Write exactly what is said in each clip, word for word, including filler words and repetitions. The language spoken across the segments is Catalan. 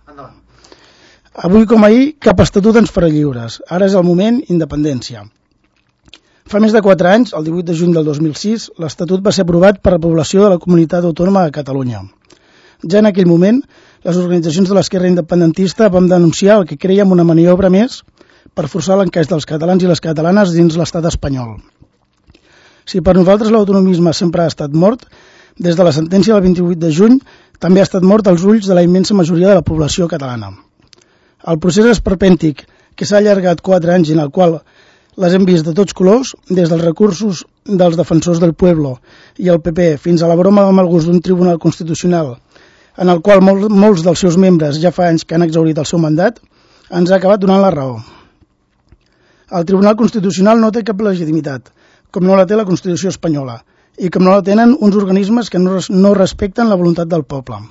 Endavant. Avui com ahir, cap estatut ens farà lliures. Ara és el moment, independència. Fa més de quatre anys, el divuit de juny del dos mil sis, l'Estatut va ser aprovat per la població de la Comunitat Autònoma de Catalunya. Ja en aquell moment, les organitzacions de l'esquerra independentista vam denunciar el que crèiem una maniobra més per forçar l'encaix dels catalans i les catalanes dins l'estat espanyol. Si per nosaltres l'autonomisme sempre ha estat mort, des de la sentència del vint-i-vuit de juny també ha estat mort als ulls de la immensa majoria de la població catalana. El procés esperpèntic que s'ha allargat quatre anys en el qual les hem vist de tots colors, des dels recursos dels defensors del pueblo i el P P fins a la broma de mal gust d'un tribunal constitucional en el qual mol, molts dels seus membres ja fa anys que han exhaurit el seu mandat, ens ha acabat donant la raó. El Tribunal Constitucional no té cap legitimitat, com no la té la Constitució espanyola, i com no la tenen uns organismes que no, no respecten la voluntat del poble.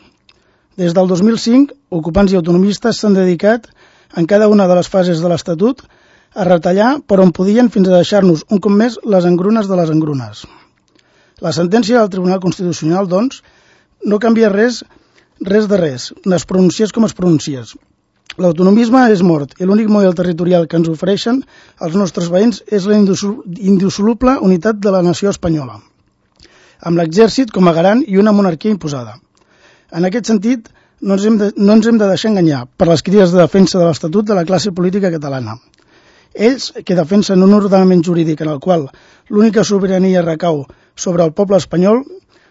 Des del dos mil cinc, ocupants i autonomistes s'han dedicat, en cada una de les fases de l'Estatut, a retallar per on podien fins a deixar-nos un cop més les engrunes de les engrunes. La sentència del Tribunal Constitucional, doncs, no canvia res, res de res, es pronunciés com es pronunciés. L'autonomisme és mort i l'únic model territorial que ens ofereixen els nostres veïns és la indissoluble unitat de la nació espanyola, amb l'exèrcit com a garant i una monarquia imposada. En aquest sentit, no ens hem de, no ens hem de deixar enganyar per les crides de defensa de l'Estatut de la classe política catalana. Ells, que defensen un ordenament jurídic en el qual l'única sobirania recau sobre el poble espanyol,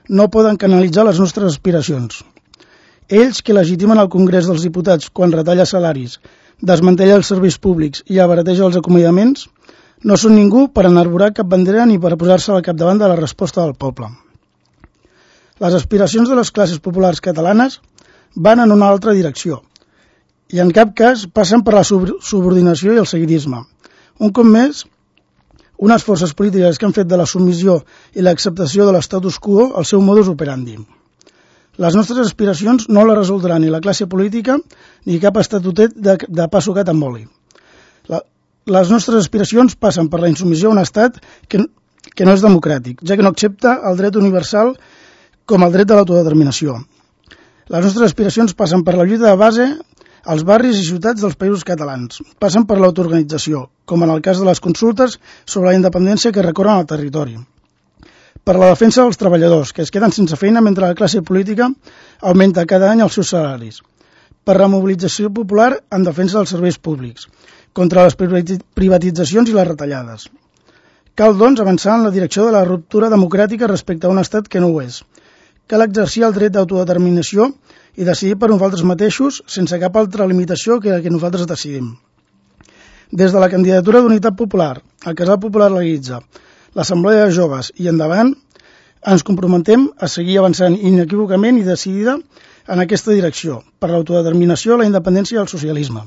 no poden canalitzar les nostres aspiracions. Ells, que legitimen el Congrés dels Diputats quan retalla salaris, desmantella els serveis públics i abarateja els acomiadaments, no són ningú per enarborar cap bandera ni per posar-se al capdavant de la resposta del poble. Les aspiracions de les classes populars catalanes van en una altra direcció i en cap cas passen per la subordinació i el seguidisme. Un cop més, unes forces polítiques que han fet de la submissió i l'acceptació de l'estatus quo el seu modus operandi. Les nostres aspiracions no les resoldrà ni la classe política ni cap estatutet de, de pa sucat amb oli. La, les nostres aspiracions passen per la insubmissió a un estat que, que no és democràtic, ja que no accepta el dret universal com el dret de l'autodeterminació. Les nostres aspiracions passen per la lluita de base als barris i ciutats dels països catalans. Passen per l'autoorganització, com en el cas de les consultes sobre la independència que recorren al territori. Per la defensa dels treballadors, que es queden sense feina mentre la classe política augmenta cada any els seus salaris. Per la mobilització popular en defensa dels serveis públics, contra les privatitzacions i les retallades. Cal, doncs, avançar en la direcció de la ruptura democràtica respecte a un estat que no ho és. Cal exercir el dret d'autodeterminació i decidir per nosaltres mateixos sense cap altra limitació que la que nosaltres decidim. Des de la candidatura d'Unitat Popular, el Casal Popular Legalitza, l'Assemblea de Joves i endavant, ens comprometem a seguir avançant inequívocament i decidida en aquesta direcció, per l'autodeterminació, la independència i el socialisme.